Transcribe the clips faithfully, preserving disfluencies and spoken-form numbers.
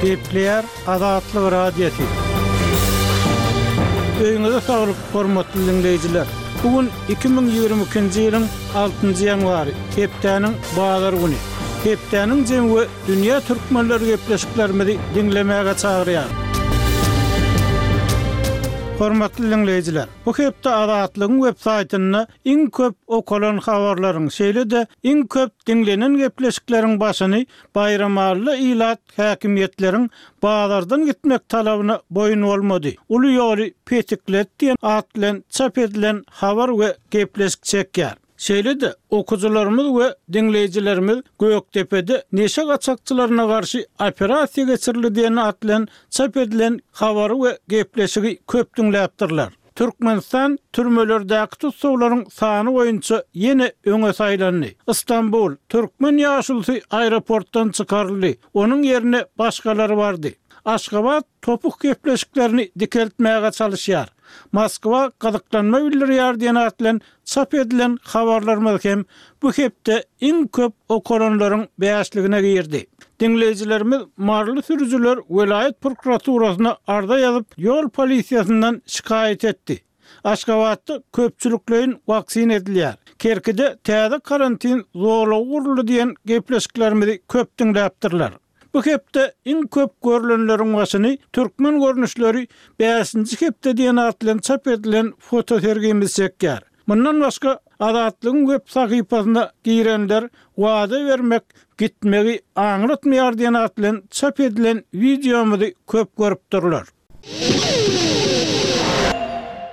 Gepleýär Azatlyk Radiosy. Öýüňize saglyk, hormatly diňleýjiler. Bu gün iki müň ýigrimi ikinji ýylyň altynjy ýanwary, hepdäniň bazar güni. Hepdäniň jemi we dünýä türkmenleri gepleşiklerimizi diňlemäge çagyrýar. Hormatly diňleýjiler, bu hepde Azatlygyň web saýtynda iň köp okalan habarlaryň, şeýle-de iň köp diňlenen gepleşikleriň başyny Baýramalyly ilat häkimiýetleriň bazardan gitmek talabyna boýun bolmady. Uly ýoly petiklet diýen at bilen çap edilen habar we gepleşik çekýär. Şeýle-de okyjylarymyz we diňleýjilerimiz Gökdepede neşe gaçakçylaryna garşy operasiýa geçirildi diýen at bilen çap edilen habary we gepleşigi köp diňläpdirler. Türkmenistan türmelerdäki tussaglaryň sany boýunça ýene öňe saýlandy. Istanbul türkmen ýaşulysy aeroportdan çykaryldy. Onuň ýerine başgalary bardy. Aşgabat topuk gepleşiklerini dikeltmäge çalışýar. Moskwa gyzyklanma bildirýär diýen at bilen çap edilen habarlarymyz hem bu hepde iň köp okalanlaryň bäşligine girdi. Diňleýjilerimiz Maryly sürüjiler welaýat prokuraturasyna arza ýazyp, ýol polisiýasyndan şikaýat etdi. Aşgabatda köpçülikleýin waksina edilýär. Kerkide täze karantin zorlugy guruldy diýen gepleşiklerimizi köp diňläpdirler. Bu hepde iň köp görülenleriň başyny türkmen görnüşleri bäşinji hepde diýen at bilen çap edilen fotosergimiz çekýär. Mundan başga Azatlygyň web sahypasyna girenler wada bermek gitmegi aňlatmaýar diýen at bilen çap edilen wideomyzy köp görüpdirler.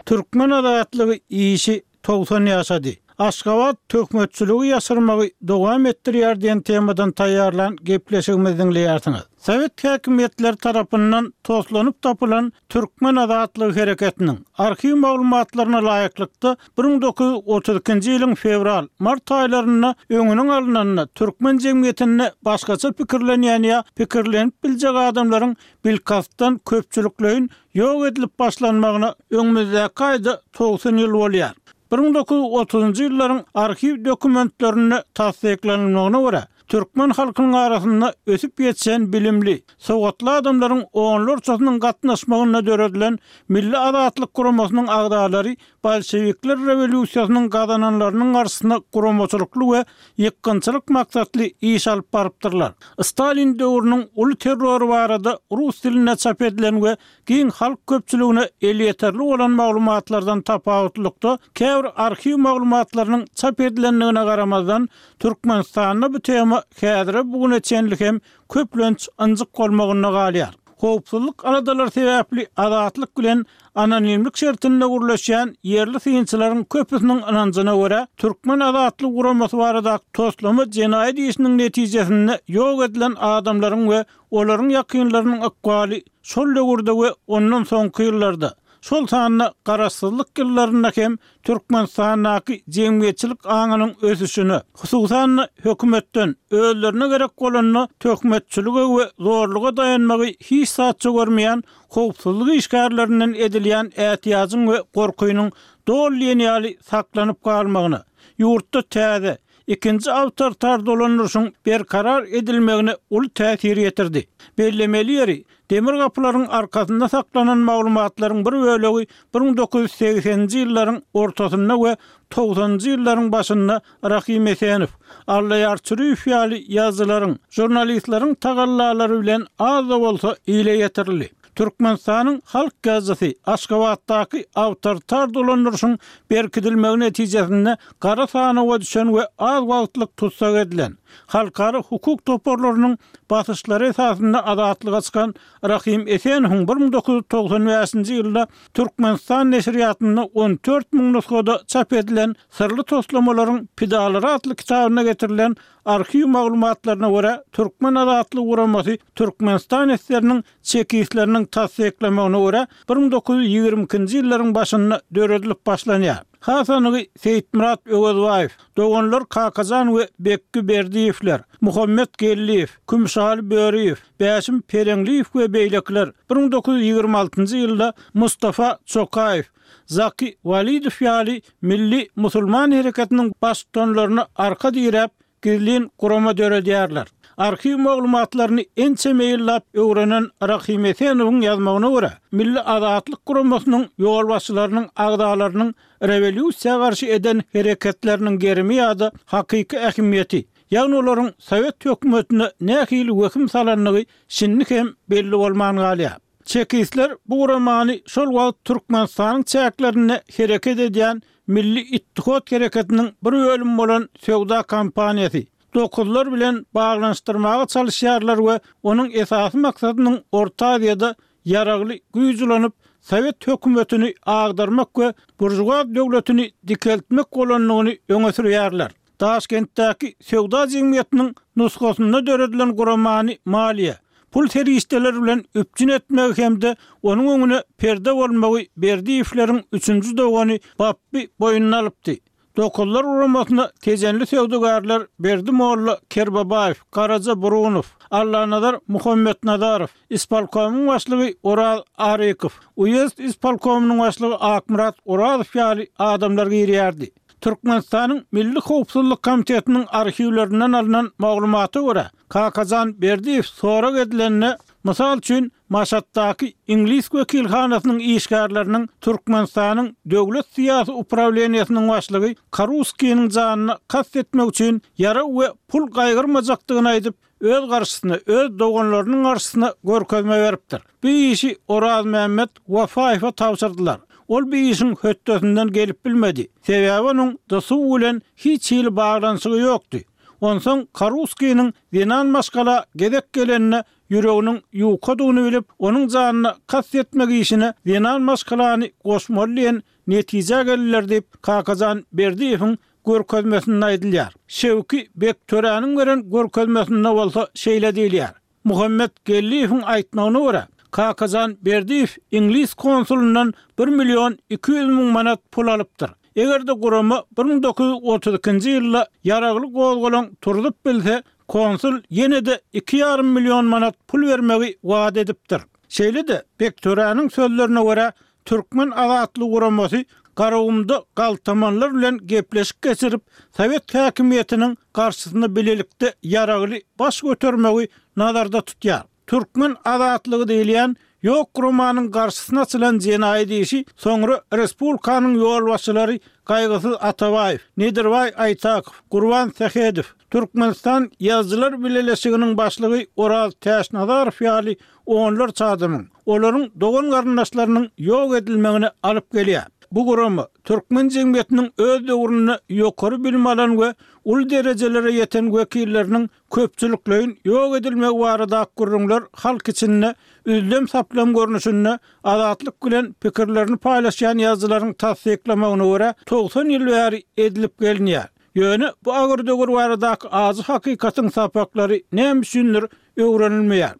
Türkmen azatlygy işi togsan ýaşady. Aşgabat töhmetçiligi ýaşyrmagy dowam etdirýär diýen temadan taýýarlan gepleşigimizi diňleýärsiňiz. Sowet häkimiýetleri tarapyndan toslanyp tapylan Türkmen azatlygy hereketiniň arhiw maglumatlaryna laýyklykda bir müň dokuz ýüz otuz ikinji ýylyň fewral, mart aýlarynda öňüniň alnanda türkmen jemgyýetinde başgaça pikirlenýän ýa pikirlenip biljek adamlaryň bilkastdan köpçülikleýin ýok edilip başlanmagyna öňümizdäki aýda togsan ýyl bolýar. Bir müň dokuz ýüz otuzynjy ýyllaryň arhiw dokumentlerinde tassyklanylmagyna görä, türkmen halkynyň arasynda ösüp ýetişen bilimli, sowatly adamlaryň onlarçasynyň gatnaşmagynda döredilen Milli Azatlyk Guramasynyň agzalary bolşevikler rewolýusiýasynyň gazananlarynyň garşysyna guramaçylykly we ýykgynçylyk maksatly iş alyp barypdyrlar. Stalin döwrüniň uly terrory barada rus dilinde çap edilen we giň halk köpçüligine elýeterli bolan maglumatlardan tapawutlykda käbir arhiw maglumatlarynyň çap edilendigine garamazdan, Türkmenistanda bu tema häzire bugüne çenli hem köplenç ynjyk bolmagynda galýar. Howpsuzlyk aladalary sebäpli Azatlyk bilen anonimlik şertinde gürleşýän ýerli synçylaryň köpüsiniň ynanjyna görä, Türkmen Azatlyk Guramasy baradaky toslama jenaýat işiniň netijesinde ýok edilen adamlaryň we olaryň ýakynlarynyň ykbaly şol döwürde we ondan soňky ýyllarda, şol sanda garaşsyzlyk ýyllarynda hem Türkmenistandaky jemgyýetçilik aňynyň ösüşine, hususan-da hökümetden özlerine gerek bolanda töhmetçilige we zorluga daýanmagy hiç zatça görmeýän howpsuzlyk işgärlerinden edilýän ätiýajyň we gorkynyň doly diýen ýaly saklanyp galmagyna, ýurtda täze, ikinji awtoritar dolandyryşyň berkarar edilmegine uly täsir ýetirdi. Bellemeli ýeri, demir gapylaryň arkasynda saklanan maglumatlaryň bir bölegi bir müň dokuz ýüz segseninji ýyllaryň ortasynda we togsanynjy ýyllaryň başynda Rahym Esenow, Allaýar Çüriýew ýaly ýazyjylaryň, žurnalistleriň tagallalary bilen az-da bolsa ile ýetirildi. Türkmenistanyň halk ýazyjysy Aşgabatdaky awtoritar dolandyryşyň berkidilmegi netijesinde gara sanawa düşen we az wagtlyk tussag edilen, halkara hukuk toparlarynyň basyşlary esasynda azatlyga çykan Rahym Esenowyň bir müň dokuz ýüz togsan bäşinji ýylda Türkmenistan neşirýatynda on dört müň nusgada çap edilen Syrly toslamalaryň pidalary atly kitabynda getirilen arhiw maglumatlaryna görä, Türkmen Azatlyk Guramasy Türkmenistan esgeriniň çekistleriniň tassyklamagyna görä, bir müň dokuz ýüz ýigrimi ikinji ýyllaryň başynda döredilip başlanýar. Has anygy Seýitmyrat Öwezbaýew, doganlar Kakajan we Bekgi Berdiýewler, Muhammet Geldiýew, Kümüşaly Böriýew, Bäşim Pereňliýew we beýlekiler bir müň dokuz ýüz ýigrimi altynjy ýylda Mustafa Çokaýew, Zaki Walidow ýaly milli musulman hereketiniň baştutanlaryna arka diräp, gizlin gurama döredýärler. Arhiw maglumatlaryny ençeme ýyllap öwrenen Rahym Esenowyň ýazmagyna görä, Milli Azatlyk guramasynyň ýolbaşçylarynyň agzalarynyň rewolýusiýa garşy eden hereketleriniň gerimi ýa-da hakyky ähmiýeti, ýagny olaryň sowet hökümetine nähili wehim salandygy şindi hem belli bolman galýar. Çekistler bu guramany şol wagt Türkmenistanyň çäklerinde hereket edýän Milli Ittihat hereketiniň bir bölümi bolan söwda kompaniýasy, Dokuzlar bilen baglanyşdyrmaga çalyşýarlar we onuň esasy maksadynyň Orta Aziýada ýaragly güýç ulanyp, sowet hökümetini agdarmak we buržuaz döwletini dikeltmek bolandygyny öňe sürýärler. Daşkentdäki söwda jemgyýetiniň nusgasynda döredilen guramany maliýe, pul serişdeleri bilen üpjün etmegi hem-de onuň öňüne perde bolmagy Berdiýewleriň üçünji dogany Bapby boýnuna alypdy. Dokuzlar guramasyna tejenli söwdagärler Berdi molla Kerbabaýew, Garaja Burunow, Allanazar Muhammetnazarow, ispolkomyň başlygy Oraz Arykow, uýezd ispolkomynyň başlygy Akmyrat Orazow ýaly adamlar girýärdi. Türkmenistanyň Milli howpsuzlyk komitetiniň arhiwlerinden alnan maglumata görä, Kakajan Berdiýew sorag edilende, mysal üçin, Maşatdaky iňlis wekilhanasynyň işgärleriniň Türkmenistanyň Döwlet syýasy uprawleniýesiniň başlygy Karuskiniň janyna kast etmek üçin ýarag we pul gaýgyrmajakdygyny aýdyp, öz garşysyna, öz doganlarynyň garşysyna görkezme beripdir. Bu işi Orazmämmet Wafaýewe tabşyrdylar. Ol bu işiň hötdesinden gelip bilmedi. Sebäbi onuň D S U bilen hiç hili baglanyşygy ýokdy. Onsoň Karuskiniň zenan maşgala gezek gelende ýüreginiň ýukadygyny bilip, onuň janyna kast etmek işine zenan maşgalany goşmaly diýen netijä geldiler diýip, Kakajan Berdiýewiň görkezmesinde aýdylýar. Şewki Bektöräniň beren görkezmesinde bolsa şeýle diýilýär: Muhammet Geldiýewiň aýtmagyna görä, Kakajan Berdiýew iňlis konsulyndan bir million iki ýüz müň manat pul alypdyr. Eger-de gurama bir müň dokuz ýüz otuz ikinji ýylda ýaragly gozgalaň turzup bilse, konsul ýene-de iki ýarym million manat pul bermegi wada edipdir. Şeýle-de, Bektöräniň sözlerine görä, Türkmen azatlygy guramasy Garagumda galtamanlar bilen gepleşik geçirip, sowet häkimiýetiniň garşysyna bilelikde ýaragly baş götermegi nazarda tutýar. Türkmen azatlygy diýilýän ýok guramanyň garşysyna açylan jenaýat işi soňra respublikanyň ýolbaşçylary Gaýgysyz Atabaýew, Nedirbaý Aýtakow, Gurban Sähedow, Türkmenistan Ýazyjylar bileleşiginiň başlygy Oraz Täçnazarow ýaly onlarça adamyň, olaryň dogan-garyndaşlarynyň ýok edilmegine alyp gelýär. Bu gurama türkmen jemgyýetiniň öz döwründe ýokary bilim alan we uly derejelere ýeten wekilleriniň köpçülikleýin ýok edilmegi baradaky gürrüňler halk içinde üzlem-saplam görnüşinde Azatlyk bilen pikirlerini paýlaşýan ýazyjylaryň tassyklamagyna görä, togsan ýyl bäri edilip gelinýär. Ýöne bu agyr döwür baradaky ajy hakykatyň sapaklary näme üçindir öwrenilmeýär.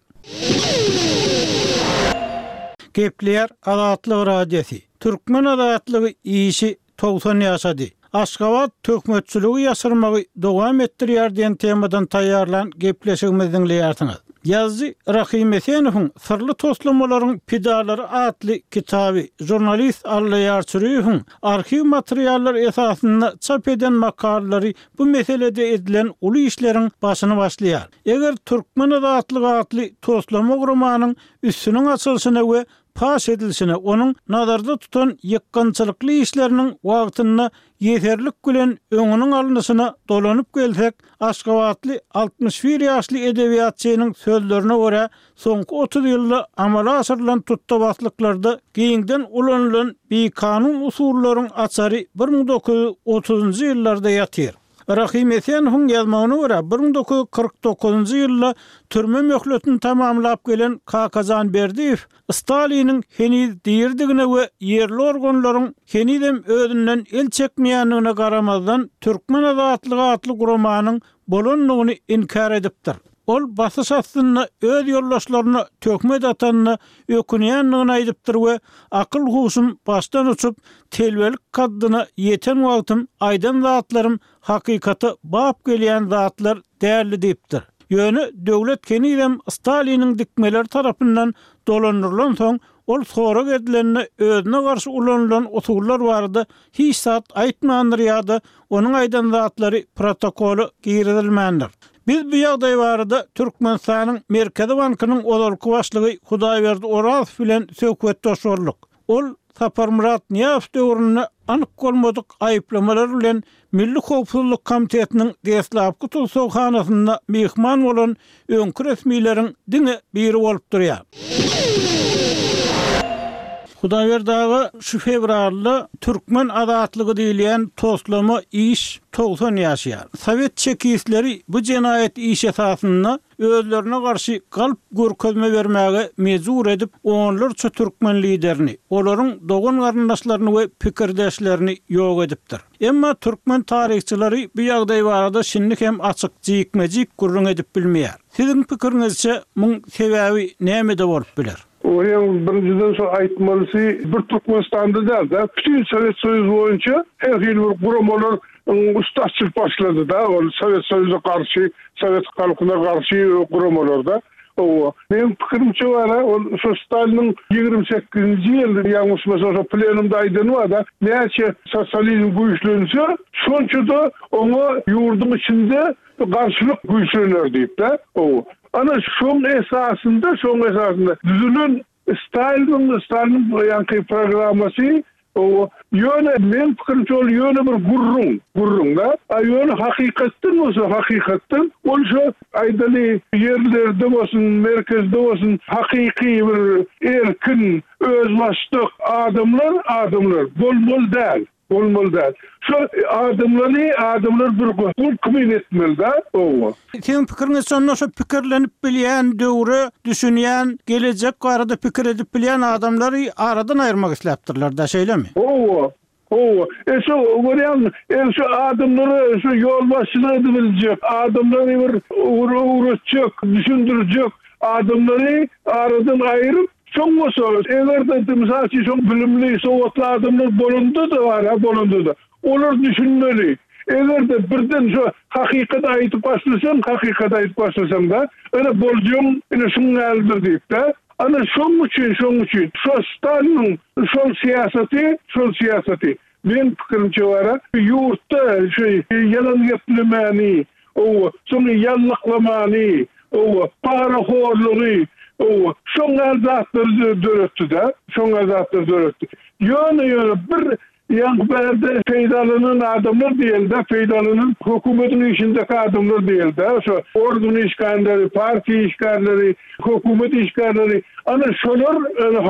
Gepleýär Azatlyk Radiosy. Türkmen azatlygy işi togsan ýaşady. Aşgabat töhmetçiligi ýaşyrmagy dowam etdirýär diýen temadan taýýarlan gepleşigimizi diňleýärsiňiz. Ýazyjy Rahym Esenowyň Syrly toslamalaryň pidalary atly kitaby, žurnalist Allaýar Çüriýewiň arhiw materiallary esasynda çap eden makalalary bu meselede edilen uly işleriň başyny başlaýar. Eger Türkmen azatlygy atly toslama guramanyň üstüniň açylyşyna we paş edilişine, onuň nazarda tutan ýykgynçylykly işleriniň wagtynda ýeserlik bilen öňüniň alnyşyna dolanyp gelsek, aşgabatly altmyş bir ýaşly edebiýatçynyň sözlerine görä, soňky otuz ýylda amala aşyrylan tutdabaslyklarda giňden ulanylan bikanun usullaryň açary bir müň dokuz ýüz otuzynjy ýyllarda ýatyr. Rahym Esenowyň ýazmagyna görä, bir müň dokuz ýüz kyrk dokuzynjy ýylda türme möhletini tamamlap gelen Kakajan Berdiýew Staliniň heniz diridigine we ýerli organlaryň henizem özünden el çekmeýändigine garamazdan, Türkmen azatlygy atly guramanyň bolandygyny inkär edipdir. Ol basyş astynda öz ýoldaşlaryna töhmet atanyna ökünýändigini aýdypdyr we akyl-huşum başdan uçup, telbelik kaddyna ýeten wagtym aýdan zatlarym hakykata bap gelýän zatlar däldi diýipdir. Ýöne döwlet henizem Staliniň dikmeleri tarapyndan dolandyrylansoň, ol sorag edilende özüne garşy ulanylan usullar barada hiç zat aýtmandyr ýa-da onuň aýdan zatlary protokola girizilmändir. Biz bu ýagdaý barada Türkmenistanyň Merkezi bankynyň ozalky başlygy Hudaýberdi Orazow bilen söhbetdeş bolduk. Ol Saparmyrat Nyýazow döwründe anyk bolmadyk aýyplamalar bilen Milli howpsuzlyk komitetiniň deslapky tussaghanasynda myhman bolan öňki resmileriň diňe biri bolup durýar. Hudaýberdi aga, şu fewralda Türkmen azatlygy diýilýän toslama iş togsan ýaşaýar. Sowet çekistleri bu jenaýat iş esasynda özlerine garşy galp görkezme bermäge mejbur edip, onlarça türkmen liderini, olaryň dogan-garyndaşlaryny we pikirdeşlerini ýok edipdir. Emma türkmen taryhçylary bu ýagdaý barada şindi hem açyk jikme-jik gürrüň edip bilmeýär. Siziň pikiriňizçe, muň sebäbi nämede bolup biler? Onuň birinjiden şo aýtmalysy, bir Türkmenistanda däl-de, bütin Sowet Soýuzy boýunça her hili bir guramalar üsti açylyp başlady-da, ol Sowet Soýuza garşy, sowet halkyna garşy guramalar-da. Hawa, meniň pikirimçe bar-a, ol şo Staliniň ýigrimi sekizinji ýylda, ýalňyşmasam, şo plenumda aýdany bar-da, näçe sosializm güýçlense, şonça-da oňa ýurduň içinde garşylyk güýçlener diýip-de. Hawa. Ana şoň esasynda, şoň esasynda düzülen Staliniň, Staliniň ýaňky programmasy, hawa, ýöne meň pikirimçe ol ýöne bir gürrüň, gürrüň-de. A ýöne hakykatdan bolsa, hakykatdan ol şo aýdaly ýerlerde bolsun, merkezde bolsun, hakyky bir erkin, özbaşdak adamlar, adamlar bolmaly däl. Bolmaly däl. Şo adamlary, adamlar bir gul kimin etmeli-dä, oba. Siziň pikiriňiz şonda şo pikirlenip bilýän, döwre düşünýän, gelejek barada pikir edip bilýän adamlary aradan aýyrmak isläpdirler-dä, şeýlemi? Hawa, hawa. E şo görýäňmi, e şo adamlara şo ýolbaşçylyk edibiljek, adamlary bir ugur öwretjek, düşündirjek adamlary aradan aýryp, Soň bolsa, eger-de, mysal üçin, şol bilimli, sowatly adamlar bolanda-da bar-a, bolanda-da, olar düşünmeli. Eger-de birden şo hakykaty aýdyp başlasaň, hakykaty aýdyp başlasaň-da, ine, boljagyň, ine, şuň ýalydyr diýip-de. Ana, şoň üçin, şoň üçin, şo Staliniň şol syýasaty, şol syýasaty, meň pikirimçe bar-a, ýurtda şu ýalan geplemäni, Owa, soň ýallaklamany, owa, parahorlugy, owa, şoň ýaly zatlary döretdi-de, şoň ýaly zatlary döretdi. Ýöne, ýöne bir ýaňky bärde peýdalanan adamlar diýeli-de, peýdalanan hökümetiň işindäki adamlar diýeli-de, şo organ işgärleri, partiýa işgärleri, hökümet işgärleri, ana şolar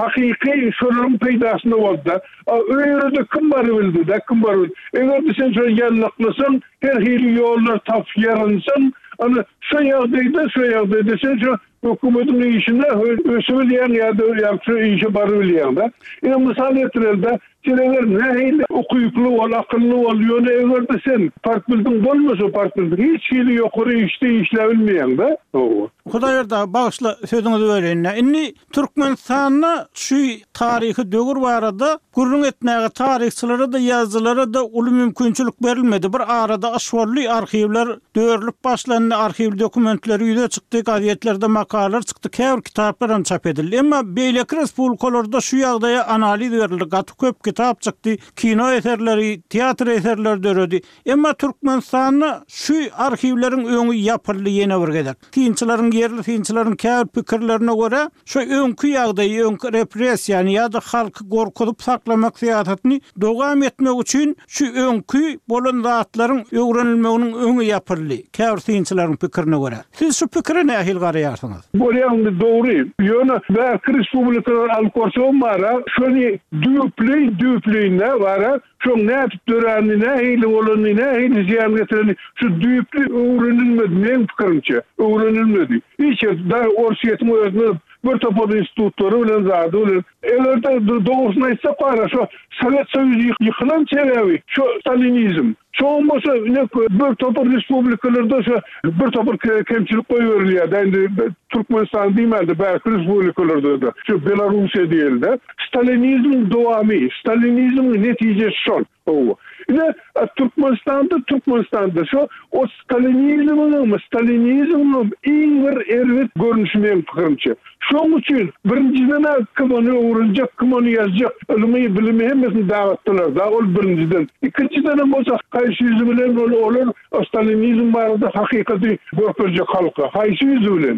hakyky şolaryň peýdasyna boldy-da. A öýere-de kim barybildi-de, kim barybildi. Eger-de sen şo ýallaklasaň, Her hili ýollar tapyp ýarynsaň, ana, şo ýagdaýda, şo ýagdaýda sen şo hökümetiň işine ösübilýäň ýa-da ýa-da şo işe barybilýäň-de. Ine, mysal getireli-de, sen eger nähili ukyply bol, akylly bol, ýöne eger-de sen partbildiň bolmasa, partbildiň hiç hili ýokary işde işläbilmeýäň-de. Hawa. Hudaýberdi aga, bagyşla, sözüňizi böleýin-dä. Indi Türkmenistanda şu taryhy döwür barada gürrüň etmäge taryhçylara-da, ýazyjylara-da uly mümkinçilik berilmedi. Bir arada yş boldy, arhiwler dörülip başlandy, arhiw dokumentleri ýüze çykdy, gazetlerde makalalar çykdy, käbir kitaplar hem çap edildi. Emma beýleki respublikalarda şu ýagdaýa analiz berildi, gaty köp kitap çykdy, kino eserleri, teatr eserleri döredi. Emma Türkmenistanda şu arhiwleriň öňi ýapyldy ýene bir gezek. Synçylaryň, ýerli synçylaryň käbir pikirlerine görä, şu öňki ýagdaýy, öňki repressiýany ýa-da halky gorkuzyp saklamak syýasatyny dowam etmek üçin şu öňki bolan zatlaryň öwrenilmeginiň öňi ýapyldy, käbir synçylaryň pikirine görä. Siz şu pikire nähili garaýarsyňyz? Bolýandy dogry. Ýöne bärki respublikalary alyp görsegem bara, şony düýpleýin, düýpleýin-dä bara, Şoň nädip döränini, nähili bolanyny, nähili zyýan getirenini şu düýpli öwrenilmedi, meň pikirimçe, öwrenilmedi. Hiç ýerde, dagy Orsýetiň özünde bir topar institutlary bilen, zady bilen. Eger-de dogrusyny aýtsak bara, şo Sowet Soýuzy ýykylan sebäbi şo stalinizm. Şoňam bolsa ine bir topar respublikalarda şo bir topar kemçilik goýberilýär-dä, indi Türkmenistan diýmän-de, bärki respublikalarda-da, şu Belarussiýa diýeli-de. Stalinizmiň dowamy, stalinizmiň netijesi şol. Hawa. Ine, Türkmenistanda, Türkmenistanda şo o stalinizmiňem, stalinizmiňem iň bir erbet görnüşi meň pikirimçe. Şoň üçin birinjiden-ä kim ony öwrenjek, kim ony ýazjak, ylmy, bilimi hemmesini dagatdylar-da, ol birinjiden. Ikinjidenem bolsa Haýsy ýüzi bilen ol olar stalinizm barada hakykaty görkezjek halka? Haýsy ýüzi bilen?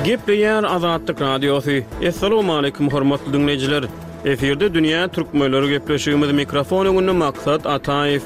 Gepleýär Azatlyk Radiosy. Assalamualaikum hormatly dinleýjiler. Efirde Dünýä Türkmenleri gepleşigimiz mikrofon öňünde Maksat Ataýew.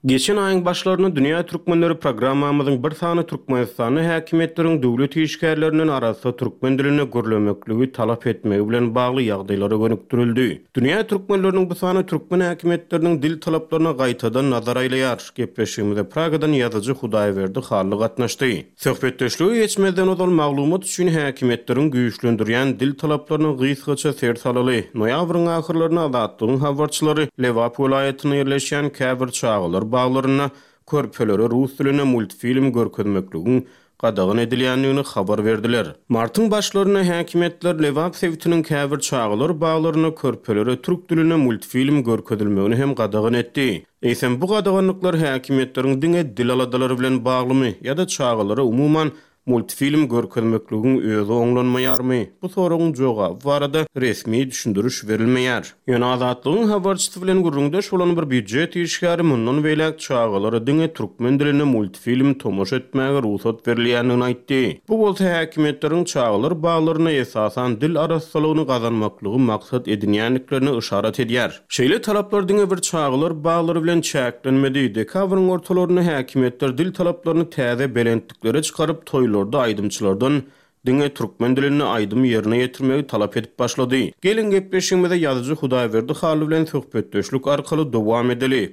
Geçen aýyň başlarynda Dünýä Türkmenleri programmamyzyň bir sany Türkmenistanda häkimiýetleriň döwlet işgärlerinden arassa türkmen dilinde gürlemekligi talap etmegi bilen bagly ýagdaýlara gönükdirildi. Dünýä Türkmenleriniň bu sany türkmen häkimiýetleriniň dil talaplaryna gaýtadan nazar aýlaýar. Gepleşigimize Pragadan ýazyjy Hudaýberdi Hally gatnaşdy. Söhbetdeşlige geçmezden ozal maglumat üçin häkimiýetleriň güýçlendirýän dil talaplaryna gysgaça ser salaly. Noýabryň ahyrlaryna Azatlygyň habarçylary Lebap welaýatynda ýerleşýän käbir çagalar baglarynda körpelere rus dilinde multfilm görkezmekligiň gadagan edilýändigini habar berdiler. Martyň başlarynda häkimiýetler Lebap sebitiniň käbir çagalar baglarynda körpelere türk dilinde multfilm görkezilmegini hem gadagan etdi. Eýsem bu gadaganlyklar häkimiýetleriň diňe dil aladalary bilen baglymy ýa-da çagalara umuman multfilm görkezmekligiň özi oňlanmaýarmy? Bu soragyň jogaby barada resmi düşündiriş berilmeýär. Ýöne Azatlygyň habarçysy bilen gürrüňdeş bolan bir býujet işgäri mundan beýläk çagalara diňe türkmen dilinde multfilm tomaşa etmäge rugsat berilýändigini aýtdy. Bu bolsa häkimiýetleriň çagalar baglaryna esasan dil arassalygyny gazanmaklygy maksat edinýändiklerini yşarat edýär. Şeýle talaplar diňe bir çagalar baglary bilen çäklenmedi. Dekabryň ortalarynda häkimiýetler dil talaplaryny täze belentliklere çykaryp toýlarda aýdymçylardan diňe türkmen dilinde aýdym ýerine ýetirmegi talap edip başlady. Gelin gepleşigimize ýazyjy Hudaýberdi Hally bilen söhbetdeşlik arkaly dowam edeli.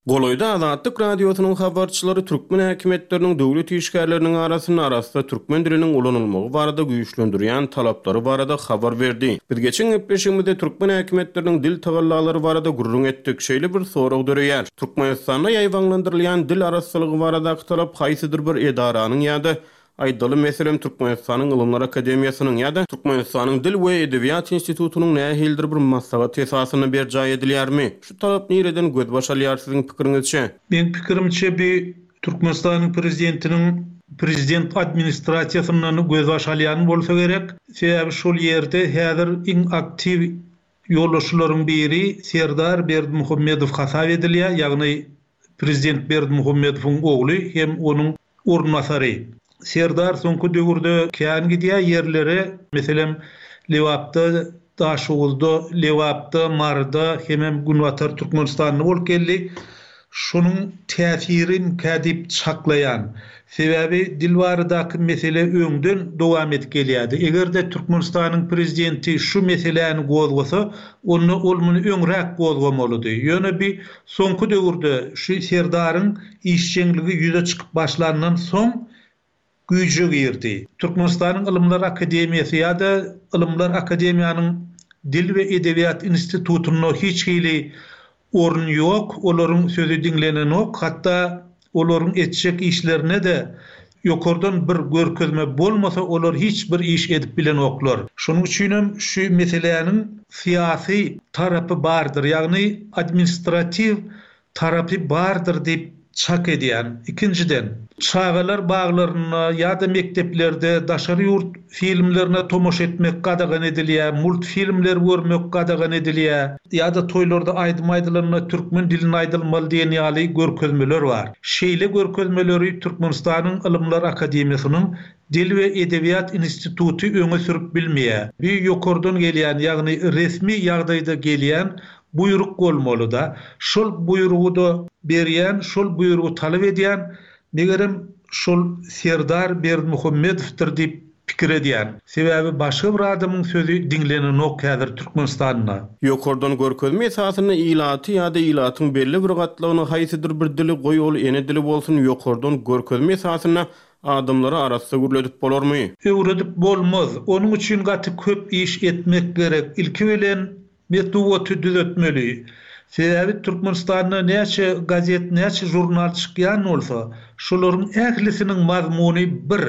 Golaýda Azatlyk Radiosynyň habarçylary türkmen häkimiýetleriniň döwlet işgärleriniň arasynda arassa türkmen diliniň ulanylmagy barada güýçlendirýän talaplary barada habar berdi. Biz geçen gepleşigimizde türkmen häkimiýetleriniň dil tagallalary barada gürrüň etdik. Şeýle bir sorag döreýär. Türkmenistanda ýaýbaňlandyrylýan dil arassalygy baradaky talap haýsydyr bir edaranyň ýa-da aýdaly meselem Türkmenistanyň Ylymlar Akademiýasynyň ýa-da Türkmenistanyň Dil we Edebiýat Institutynyň nähilidir bir maslahat esasynda berjaý edilýärmi? Şu talap nireden gözbaş alýar siziň pikiriňizçe? Men pikirimçe bir Türkmenistanyň prezidentiniň prezident administrasiýasyndan gözbaş alýan bolsa gerek. Sebäbi şol ýerde häzir iň aktiw ýolbaşçylaryň biri Serdar Berdimuhamedow hasap edilýär, ýagny prezident Berdimuhamedowyň ogly hem onuň orunbasary. Serdar soňky döwürde kän gidýär ýerlere, meselem Lebapda, Daşoguzda, Lebapda, Maryda hemem Günbatar Türkmenistanda bolup geldi. Şonuň täsirini kädip çaklaýan. Sebäbi dil baradaky mesele öňden dowam edip gelýärdi. Eger-de Türkmenistanyň prezidenti şu meseläni gozgasa, onda ol muny öňräk gozgamalydy. Ýöne bir soňky döwürde şu Serdaryň işjeňligi ýüze çykyp başlandan soň güýje girdi. Türkmenistanyň Ylymlar Akademiýasy ýa-da Ylymlar Akademiýanyň Dil we Edebiýat Institutynda hiç hili orun ýok, olaryň sözi diňlenenok, hatda olaryň etjek işlerine de ýokardan bir görkezme bolmasa olar hiç bir iş edip bilenoklar. Şonuň üçin hem şu meseläniň syýasy tarapy bardyr, ýagny administratiw tarapy bardyr diýip çak edýän. Ikinjiden, çagalar baglarynda ýa-da mekdeplerde daşary ýurt filmlerine tomaşa etmek gadagan edilýär, multfilmler görmek gadagan edilýär ýa-da toýlarda aýdym aýdylanda türkmen dilinde aýdylmaly diýen ýaly görkezmeler bar. Şeýle görkezmeleri Türkmenistanyň Ylymlar Akademiýasynyň Dil we Edebiýat Instituty öňe sürüp bilmeýär. Bir ýokardan gelýän, ýagny resmi ýagdaýda gelýän buýruk bolmaly da. Şol buýrugy da berýän, şol buýrugy talap edýän, megerem şol Serdar Berdimuhamedowdyr diýip pikir edýän. Sebäbi başga bir adamyň sözi diňlenenok häzir Türkmenistanda. Ýokardan görkezme esasynda ilaty ýa-da ilatyň belli bir gatlagyny haýsydyr bir dili goý ol ene dili bolsun ýokardan görkezme esasynda adamlara arassa gürledip bolarmy? Öwredip bolmaz. Onuň üçin gaty köp iş etmek gerek. Ilki bilen metbugaty düzetmeli. Sebäbi Türkmenistanda näçe gazet, näçe jurnal çykýan bolsa, şolaryň ählisiniň mazmuny bir.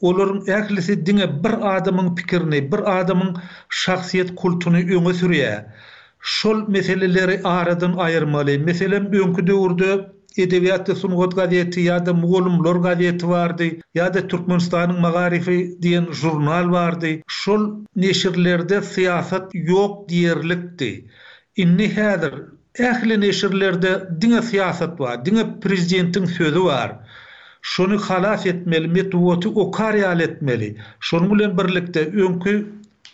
Olaryň ählisi diňe bir adamyň pikirini, bir adamyň şahsyýet kultuny öňe sürýär. Şol meseleleri aradan aýyrmaly. Meselem, öňki döwürde Edebiýat we sungat gazeti ýa-da Mugallymlar gazeti bardy, ýa-da Türkmenistanyň magaryfy diýen žurnal bardy. Şol neşirlerde syýasat ýok diýerlikdi. Indi häzir ähli neşirlerde diňe syýasat bar, diňe prezidentiň sözi bar. Şony halas etmeli, metbugaty okar ýaly etmeli. Şonuň bilen birlikde öňki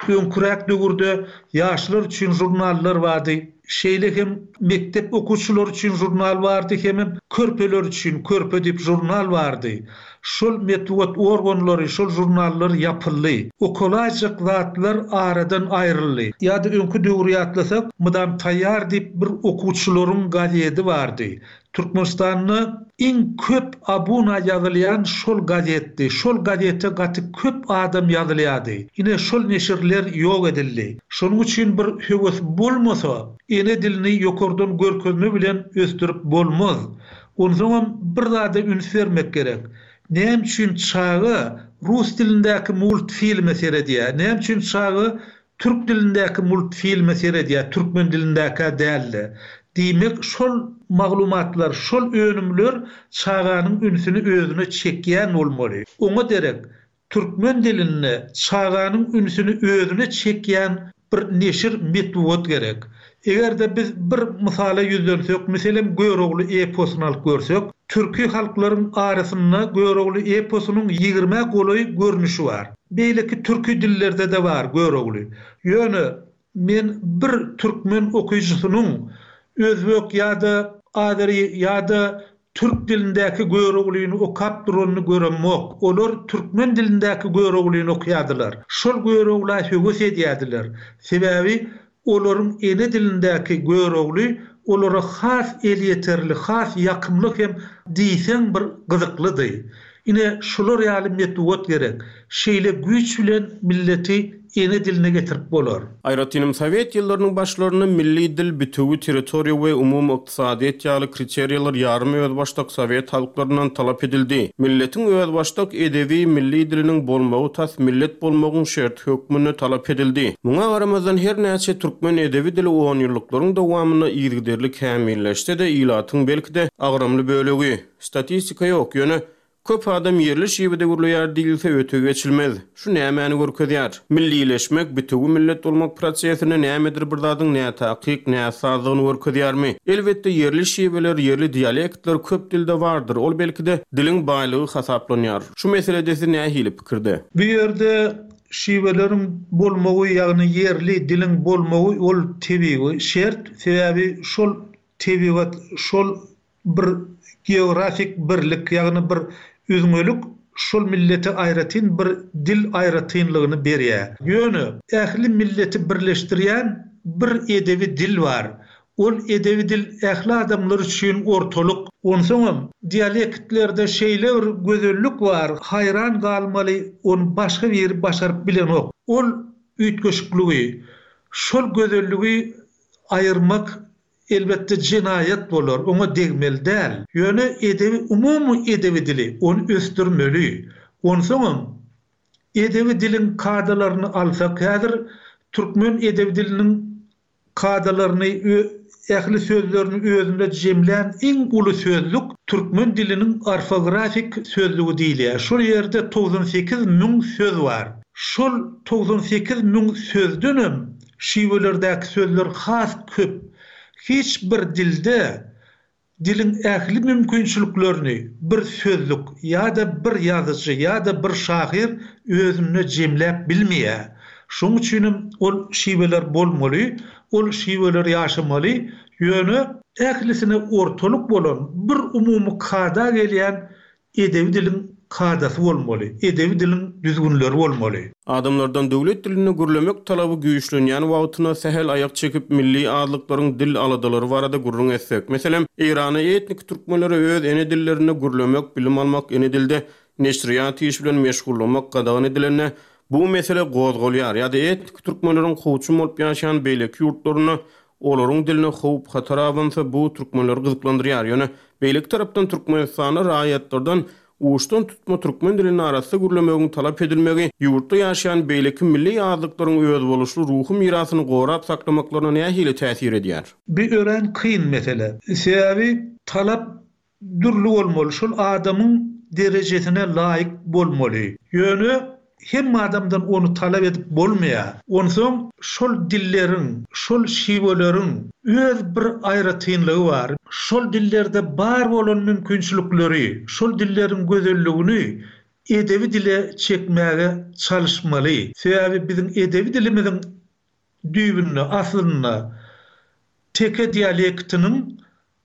Öňküräk döwürde ýaşlar üçin žurnallar bardy. Şeýle hem mekdep okuwçylary üçin žurnal bardy hemem körpeler üçin Körpe diýip žurnal bardy. Şol metbugat organlary, şol žurnallar ýapyldy. Okalaýjak zatlar aradan aýryldy. Ýa-da öňki döwri ýatlasak, Mydam taýýar diýip bir okuwçylaryň gazedi bardy. Türkmenistanda iň köp abuna ýazylýan şol gazetdi. Şol gazete gaty köp adam ýazylýardy. Ine şol neşirler ýok edildi. Şonuň üçin bir höwes bolmasa, ene dilini ýokardan görkezme bilen ösdürip bolmaz. Onsoňam bir zada üns bermek gerek. Näme üçin çaga rus dilindäki multfilme seredýär? Näme üçin çaga Türk dilindäki multfilme seredýär, türkmen dilindäkä däl-de. Diýmek, şol maglumatlar, şol önümler çaganyň ünsüni özüne çekýän bolmaly. Oňa derek, türkmen dilinde çaganyň ünsüni özüne çekýän bir neşir, metbugat gerek. Eger-de biz bir mysala ýüzlensek, meselem, Görogly eposyny alyp görsek, türki halklaryň arasynda Görogly eposynyň ýigrimä golaý görnüşi bar. Beýleki türki dillerde-de bar Görogly. Ýöne men bir türkmen okyjysynyň özbek ýa-da azeri ýa-da türk dilindäki Göroglyny okap duranyny göremok. Olar türkmen dilindäki Göroglyny okaýardylar. Şol Görogla höwes edýärdiler. Sebäbi olaryň ene dilindäki Görogly olara has elýeterli, has ýakymly hem diýseň bir gyzyklydy. Ine, şular ýaly metbugat gerek. Şeýle güýç bilen milleti ene diline getirip bolar. Aýratynam sowet ýyllarynyň başlarynda milli dil, bitewi territoriýa we umumy ykdysadyýet ýaly kriteriýalar ýarym özbaşdak sowet halklaryndan talap edildi. Milletiň özbaşdak edebi milli diliniň bolmagy tas millet bolmagyň şerti hökmünde talap edildi. Muňa garamazdan her näçe türkmen edebi dili onýyllyklaryň dowamynda yzygiderli kämilleşse-de, ilatyň belki-de agramly bölegi, statistika ýok, ýöne köp adam ýerli şiwede gürleýär diýilse öte geçilmez. Şu nämäni görkezýär? Millileşmek, bitewi millet bolmak prosesinde nämedir bir zadyň nätakyk, näsazlygyny görkezýärmi? Elbetde ýerli şiweler, ýerli dialektler köp dilde bardyr. Ol belki-de diliň baýlygy hasaplanýar. Şu meselede siz nähili pikirde? Bu ýerde şiweleriň bolmagy, ýagny ýerli diliň bolmagy ol tebigy şert. Sebäbi şol tebigat, şol bir geografik birlik, ýagny bir üzňelik şol millete aýratyn bir dil aýratynlygyny berýär. Ýöne ähli milleti birleşdirýän bir edebi dil bar. Ol edebi dil ähli adamlar üçin ortalyk. Onsoňam dialektlerde şeýle bir gözellik bar, haýran galmaly, ony başga biri başaryp bilenok. Ol üýtgeşikligi, şol gözelligi aýyrmak elbetde jenaýat bolar, oňa degmeli däl. Ýöne edebi, umumy edebi dili, ony ösdürmeli. Onsoňam edebi diliň kadalaryny alsak, häzir türkmen edebi diliniň kadalaryny, ähli sözlerini özünde jemlän iň uly sözlük türkmen diliniň orfografik sözlügi diýilýär. Şol ýerde togsan sekiz müň söz bar. Şol togsan sekiz müň sözdenem şiwelerdäki sözler has köp. Hiç bir dilde diliň ähli mümkinçiliklerini bir sözlük ýa-da bir ýazyjy ýa-da bir şahyr özünde jemläp bilmeýär. Şonuň üçinem ol şiweler bolmaly, ol şiweler ýaşamaly, ýöne ählisine ortalyk bolan bir umumy kada gelýän edebi diliň kadasy bolmaly, edebi diliň düzgünleri bolmaly. Adamlardan döwlet dilinde gürlemek talaby güýçlenýän wagtyna sähel aýak çekip milli azlyklaryň dil aladalary barada gürrüň etsek. Meselem, Eýrana etnik türkmenlere öz ene dillerinde gürlemek, bilim almak, ene dilde neşirýat işi bilen meşgullamak gadagan edilende bu mesele gozgalýar. Ýa-da etnik türkmenleriň kowçum bolup ýaşaýan beýleki ýurtlarynda olaryň diline howp hatar abansa bu türkmenleri gyzyklandyrýar. Ýöne beýleki tarapdan Türkmenistanda raýatlardan uçdan tutma türkmen dilinde arassa gürlemegiň talap edilmegi ýurtda ýaşaýan beýleki milli azlyklaryň özboluşly ruhy mirasyny gorap saklamaklaryna nähili täsir edýär? Bi örän kyn mesele. Sebäbi talap dürli bolmaly, şol adamyň derejesine laýyk bolmaly. Ýöne hemme adamdan ony talap edip bolmaýar. Onsoň şol dilleriň, şol şiweleriň öz bir aýratynlygy bar. Şol dillerde bar bolan mümkinçilikleri, şol dilleriň gözelligini edebi dile çekmäge çalyşmaly. Sebäbi biziň edebi dilimiziň düýbünde, aslynda teke dialektiniň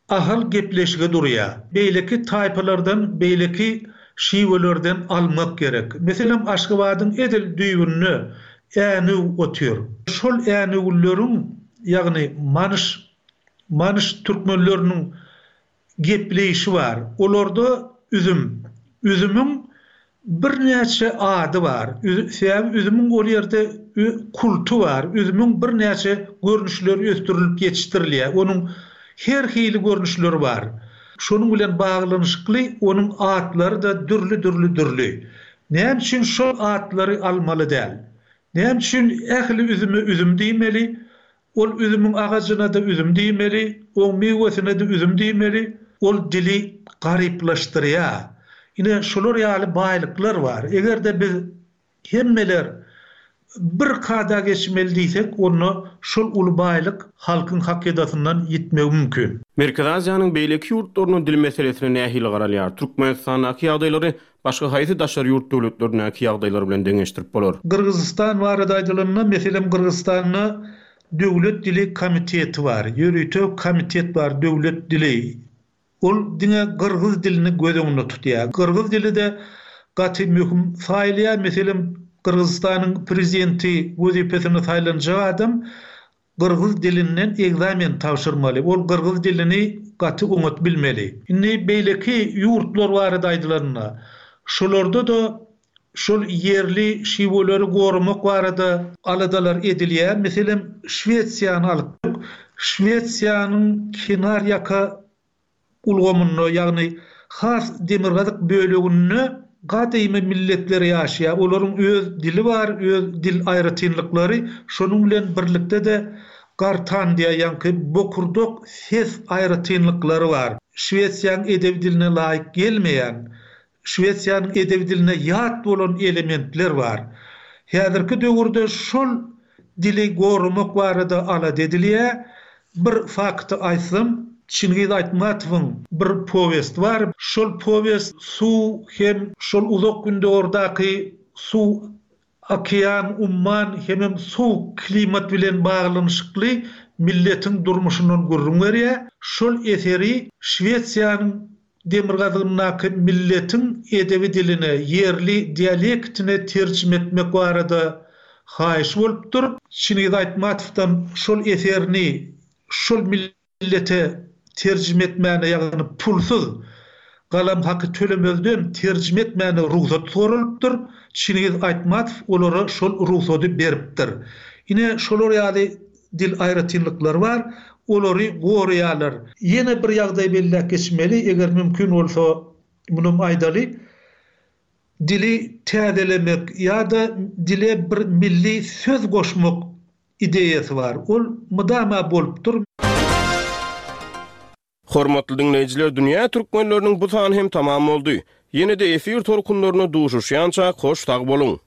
Ahal gepleşigi durýar. Beýleki taýpalardan, beýleki şiwelerden almak gerek. Meselem, Aşgabadyň edil düýbünde Änew otyr. Şol änewlileriň, ýagny manyş, manyş türkmenleriniň gepleýşi bar. Olarda üzüm. Üzümiň Birnäçe ady bar. Sebäbi üzümiň ol ýerde kulty bar. Üzümiň birnäçe görnüşleri ösdürilip ýetişdirilýär. Onuň her hili görnüşleri bar. Şonuň bilen baglanyşykly onuň atlary-da dürli-dürli dürli. Näme üçin şol atlary almaly däl? Näme üçin ähli üzüme üzüm diýmeli? Ol üzümiň agajyna-da üzüm diýmeli, oň miwesine-de üzüm diýmeli. Ol dili garyplaşdyrýar. Ine, şular ýaly baýlyklar bar. Eger-de biz hemmeler bir kada geçmeli diýsek, onda şol uly baýlyk halkyň hakydasyndan ýitmegi mümkin. Merkezi Aziýanyň beýleki ýurtlarynda dil meselesine nähili garalýar? Türkmenistandaky ýagdaýlary başga haýsy daşary ýurt döwletlerindäki ýagdaýlar bilen deňeşdirip bolar? Gyrgyzystan barada aýdylanda, meselem, Gyrgyzystanda Döwlet dili komiteti bar, ýörite komitet bar döwlet dili. Ol diňe gyrgyz dilini göz öňünde tutýar. Gyrgyz dili-de gaty möhüm saýylýar. Meselem, Gyrgyzystanyň prezidenti wezipesine saýlanjak adam gyrgyz dilinden ekzamen tabşyrmaly. Ol gyrgyz dilini gaty oňat bilmeli. Indi beýleki ýurtlar barada aýdylanda, şolarda-da Şol ýerli şiweleri goramak barada aladalar edilýär. Meselem, Şwesiýany alyp, Şwesiýanyň kenar ýaka ulgamynda, ýagny has demirgazyk böleginde gadymy milletler ýaşaýar. Olaryň öz dili bar, öz dil aýratynlyklary, şonuň bilen birlikde-de gartan diýýär, ýaňky bokurdak ses aýratynlyklary bar. Şwesiýanyň edebi diline laýyk gelmeýän Şwesiýanyň edebi diline ýat bolan elementler bar. Häzirki döwürde şol dili goramak barada alada edilýär. Bir fakty aýtsam, Çingiz Aýtmatowyň bir powesti bar. Şol powest suw hem şol Uzak Gündogardaky suw, okean, umman hemem sowuk klimat bilen baglanyşykly milletiň durmuşyndan gürrüň berýär. Şol eseri Şwesiýanyň Demirgazygyndaky milletiň edebi diline, ýerli dialektine terjime etmek barada haýyş bolupdyr. Çingiz Aýtmatowdan şol eserini şol millete terjime etmäne, ýagny pulsuz, galam haky tölemezden terjime etmäne rugsat soralypdyr. Çingiz Aýtmatow olara şol rugsady beripdir. Ine, şolar ýaly dil aýratynlyklary bar, olary goraýarlar. Ýene bir ýagdaý belläp geçmeli, eger mümkin bolsa, munam aýdaly, dili täzelemek ýa-da dile bir milli söz goşmak ideýasy bar. Ol mydama bolupdyr. Hormatly diňleýjiler, Dünýä türkmenleriniň bu sany hem tamam boldy. Ýene-de efir tolkunlarynda duşuşýançak hoş sag boluň!